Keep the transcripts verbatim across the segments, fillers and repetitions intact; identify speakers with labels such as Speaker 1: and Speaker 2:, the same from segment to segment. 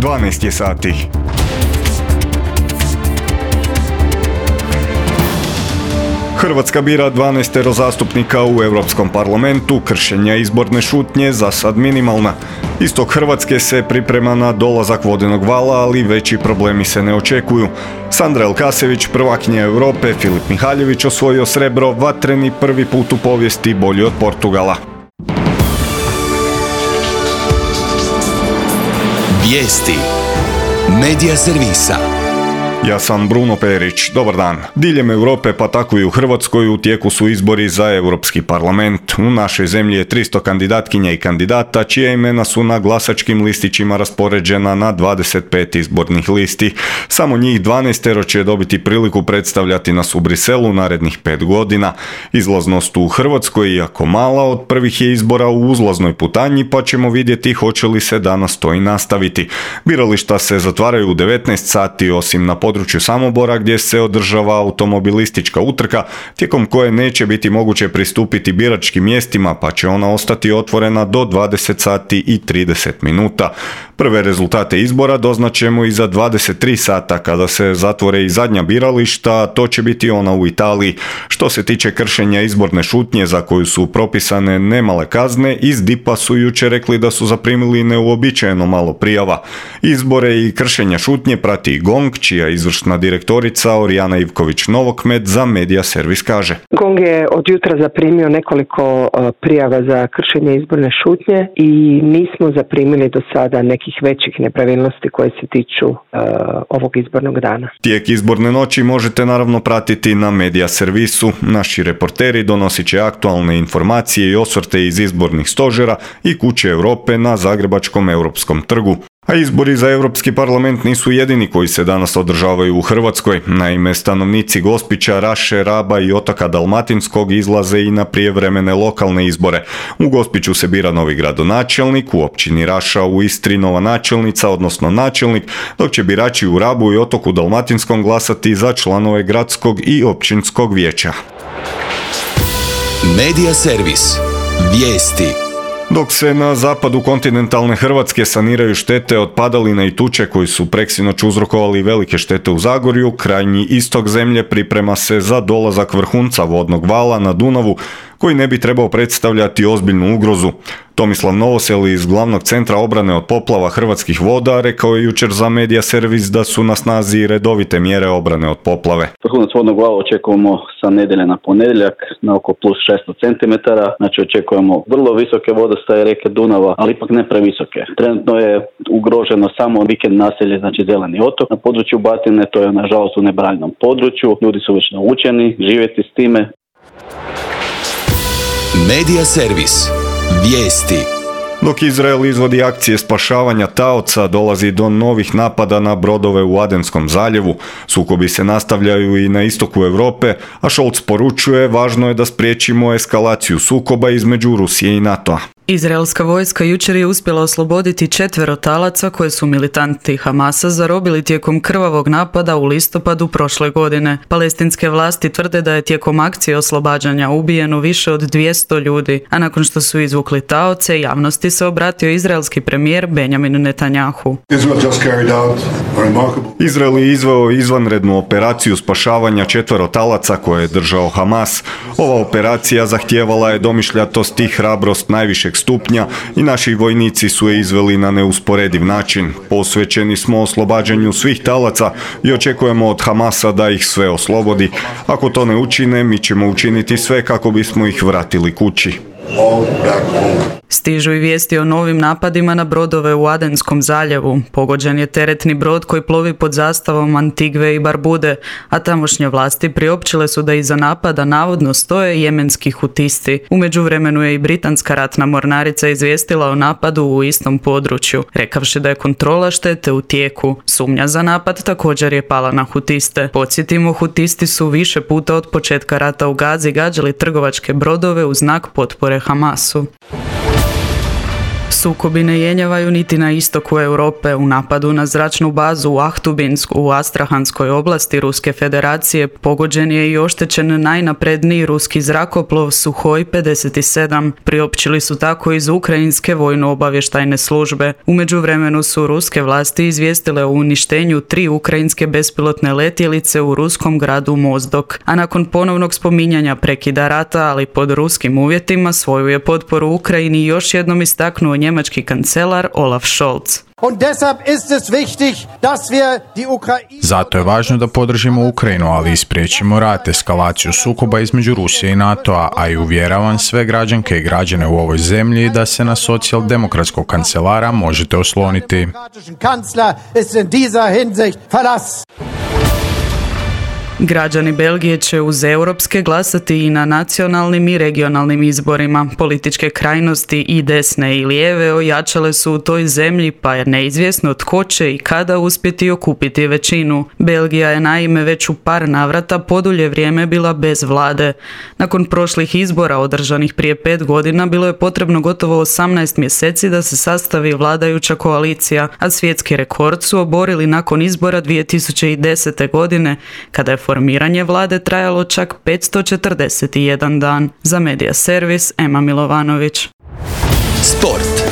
Speaker 1: dvanaest je sati. Hrvatska bira dvanaestero zastupnika u Europskom parlamentu, kršenja izborne šutnje za sad minimalna. Istok Hrvatske se priprema na dolazak vodenog vala, ali veći problemi se ne očekuju. Sandra Elkasević, prvakinja Europe, Filip Mihaljević osvojio srebro, vatreni prvi put u povijesti, bolji od Portugala.
Speaker 2: Vijesti Medija servisa.
Speaker 1: Ja sam Bruno Perić, dobar dan. Diljem Europe, pa tako i u Hrvatskoj, u tijeku su izbori za Europski parlament. U našoj zemlji je tristo kandidatkinja i kandidata, čija imena su na glasačkim listićima raspoređena na dvadeset pet izbornih listi. Samo njih dvanaestero će dobiti priliku predstavljati nas u Briselu narednih pet godina. Izlaznost u Hrvatskoj, iako mala, od prvih je izbora u uzlaznoj putanji, pa ćemo vidjeti hoće li se danas to i nastaviti. Birališta se zatvaraju u devetnaest sati, osim na području Samobora gdje se održava automobilistička utrka, tijekom koje neće biti moguće pristupiti biračkim mjestima, pa će ona ostati otvorena do dvadeset sati i trideset minuta. Prve rezultate izbora doznaćemo i za dvadeset tri sata kada se zatvore i zadnja birališta, a to će biti ona u Italiji. Što se tiče kršenja izborne šutnje za koju su propisane nemale kazne, iz D I P-a su jučer rekli da su zaprimili neuobičajeno malo prijava. Izbore i kršenja šutnje prati i GONG, čija izvršna direktorica Orijana Ivković-Novokmet za Medija servis kaže.
Speaker 3: GONG je od jutra zaprimio nekoliko prijava za kršenje izborne šutnje i nismo zaprimili do sada nekih većih nepravilnosti koje se tiču uh, ovog izbornog dana.
Speaker 1: Tijek izborne noći možete naravno pratiti na Medija servisu. Naši reporteri donosit će aktualne informacije i osvrte iz izbornih stožera i Kuće Europe na Zagrebačkom Europskom trgu. A izbori za Europski parlament nisu jedini koji se danas održavaju u Hrvatskoj. Naime, stanovnici Gospića, Raše, Raba i otoka Dalmatinskog izlaze i na prijevremene lokalne izbore. U Gospiću se bira novi gradonačelnik, u općini Raša u Istri nova načelnica, odnosno načelnik, dok će birači u Rabu i otoku Dalmatinskom glasati za članove gradskog i općinskog vijeća.
Speaker 2: Medija servis. Vijesti.
Speaker 1: Dok se na zapadu kontinentalne Hrvatske saniraju štete od padalina i tuče koji su preksinoć uzrokovali velike štete u Zagorju, krajnji istok zemlje priprema se za dolazak vrhunca vodnog vala na Dunavu, koji ne bi trebao predstavljati ozbiljnu ugrozu. Tomislav Novosel iz Glavnog centra obrane od poplava Hrvatskih voda rekao je jučer za Medija servis da su na snazi redovite mjere obrane od poplave.
Speaker 4: Vrhunac vodnog vala očekujemo sa nedjelje na ponedjeljak na oko plus šesto centimetara, znači očekujemo vrlo visoke vodostaje rijeke Dunava, ali ipak ne previsoke. Trenutno je ugroženo samo vikend naselje, znači Zeleni otok. Na području Batine to je nažalost u nebranjenom području, ljudi su već naučeni živjeti s time.
Speaker 2: Medija servis. Vijesti.
Speaker 1: Dok Izrael izvodi akcije spašavanja taoca, dolazi do novih napada na brodove u Adenskom zaljevu. Sukobi se nastavljaju i na istoku Europe, a Scholz poručuje važno je da spriječimo eskalaciju sukoba između Rusije i NATO-a.
Speaker 5: Izraelska vojska jučer je uspjela osloboditi četvero talaca koje su militanti Hamasa zarobili tijekom krvavog napada u listopadu prošle godine. Palestinske vlasti tvrde da je tijekom akcije oslobađanja ubijeno više od dvjesto ljudi, a nakon što su izvukli taoce, javnosti se obratio izraelski premijer Benjamin Netanjahu.
Speaker 1: Izrael je izveo izvanrednu operaciju spašavanja četvero talaca koje je držao Hamas. Ova operacija zahtijevala je domišljatost i hrabrost najvišeg stupnja i naši vojnici su je izveli na neusporediv način. Posvećeni smo oslobađanju svih talaca i očekujemo od Hamasa da ih sve oslobodi. Ako to ne učine, mi ćemo učiniti sve kako bismo ih vratili kući.
Speaker 5: Stižu i vijesti o novim napadima na brodove u Adenskom zaljevu. Pogođen je teretni brod koji plovi pod zastavom Antigve i Barbude, a tamošnje vlasti priopćile su da iza napada navodno stoje jemenski hutisti. U međuvremenu je i britanska ratna mornarica izvijestila o napadu u istom području, rekavši da je kontrola štete u tijeku. Sumnja za napad također je pala na hutiste. Podsjetimo, hutisti su više puta od početka rata u Gazi gađali trgovačke brodove u znak potpore Hamasu. Sukobi ne jenjavaju niti na istoku Europe. U napadu na zračnu bazu u Ahtubinsku u Astrahanskoj oblasti Ruske federacije pogođen je i oštećen najnapredniji ruski zrakoplov Suhoj pedeset sedam. Priopćili su tako iz ukrajinske vojno-obavještajne službe. U međuvremenu su ruske vlasti izvijestile o uništenju tri ukrajinske bespilotne letjelice u ruskom gradu Mozdok, a nakon ponovnog spominjanja prekida rata, ali pod ruskim uvjetima, svoju je potporu Ukrajini još jednom istaknuo njemački kancelar Olaf Scholz.
Speaker 6: Zato je važno da podržimo Ukrajinu, ali i spriječimo rat, eskalaciju sukoba između Rusije i NATO-a, a i uvjeravam sve građanke i građane u ovoj zemlji da se na socijaldemokratskog kancelara možete osloniti.
Speaker 5: Građani Belgije će uz europske glasati i na nacionalnim i regionalnim izborima. Političke krajnosti i desne i lijeve ojačale su u toj zemlji, pa je neizvjesno tko će i kada uspjeti okupiti većinu. Belgija je naime već u par navrata podulje vrijeme bila bez vlade. Nakon prošlih izbora održanih prije pet godina bilo je potrebno gotovo osamnaest mjeseci da se sastavi vladajuća koalicija, a svjetski rekord su oborili nakon izbora dvije tisuće desete. godine, kada je formiranje vlade trajalo čak petsto četrdeset jedan dan. Za Medija servis, Ema Milovanović.
Speaker 2: Sport.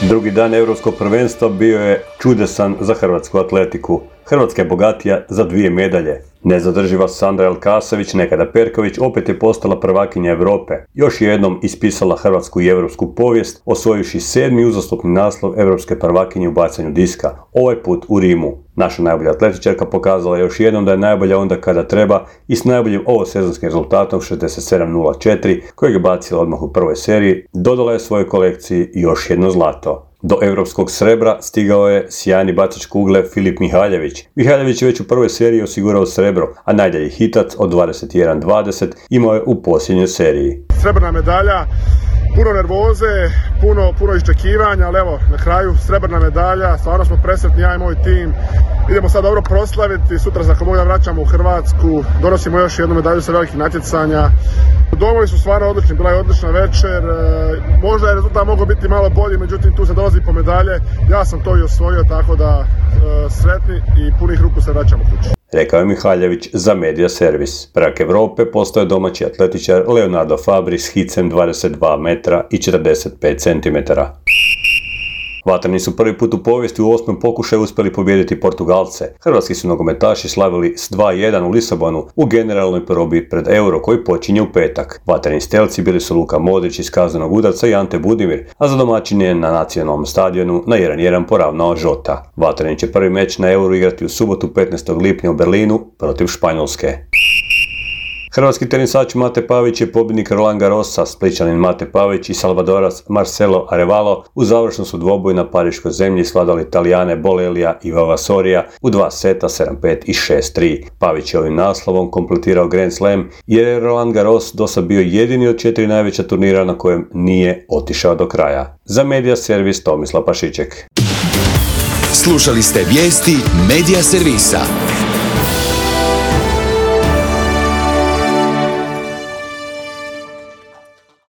Speaker 7: Drugi dan Europskog prvenstva bio je čudesan za hrvatsku atletiku. Hrvatska je bogatija za dvije medalje. Nezadrživa Sandra Elkasović, nekada Perković, opet je postala prvakinja Europe. Još jednom ispisala hrvatsku i europsku povijest, osvojivši sedmi uzastopni naslov europske prvakinje u bacanju diska, ovaj put u Rimu. Naša najbolja atletičarka pokazala još jednom da je najbolja onda kada treba i s najboljim ovosezonskim rezultatom šezdeset sedam nula četiri, kojeg je bacila odmah u prvoj seriji, dodala je svojoj kolekciji još jedno zlato. Do europskog srebra stigao je sjajni bacač kugle Filip Mihaljević. Mihaljević je već u prvoj seriji osigurao srebro, a najdalji hitac od dvadeset jedan dvadeset imao je u posljednjoj seriji.
Speaker 8: Srebrna medalja, puno nervoze, puno, puno iščekivanja, ali evo, na kraju srebrna medalja, stvarno smo presretni, ja i moj tim. Idemo sad dobro proslaviti, sutra za komu da vraćamo u Hrvatsku, donosimo još jednu medalju sa velikih natjecanja. Domovi su stvarno odlični, bila je odlična večer, možda je rezultat mogao biti malo bolji, međutim tu se dolazi po medalje, ja sam to i osvojio, tako da sretni i punih ruku se vraćamo kući.
Speaker 7: Rekao je Mihaljević za Medija servis. Prvak Europe postoje domaći atletičar Leonardo Fabri s hicem dvadeset dva metra i četrdeset pet centimetara. Vatreni su prvi put u povijesti u osmom pokušaju uspjeli pobijediti Portugalce. Hrvatski su nogometaši slavili s dva jedan u Lisabonu u generalnoj probi pred Euro koji počinje u petak. Vatreni stelci bili su Luka Modrić iz kaznenog udarca i Ante Budimir, a za domaćine na nacionalnom stadionu na jedan jedan poravnao Žota. Vatreni će prvi meč na Euro igrati u subotu petnaestog lipnja u Berlinu protiv Španjolske. Hrvatski tenisač Mate Pavić je pobjednik Roland Garrosa, Splićanin Mate Pavić i Salvadorac Marcelo Arevalo u završnom su dvoboju na pariškoj zemlji svladali Italijane Bolelija i Vavasorija u dva seta sedam pet i šest tri. Pavić je ovim naslovom kompletirao Grand Slam jer je Roland Garros dosad bio jedini od četiri najveća turnira na kojem nije otišao do kraja. Za Medija servis Tomislav Pašiček.
Speaker 2: Slušali ste vijesti Medija servisa.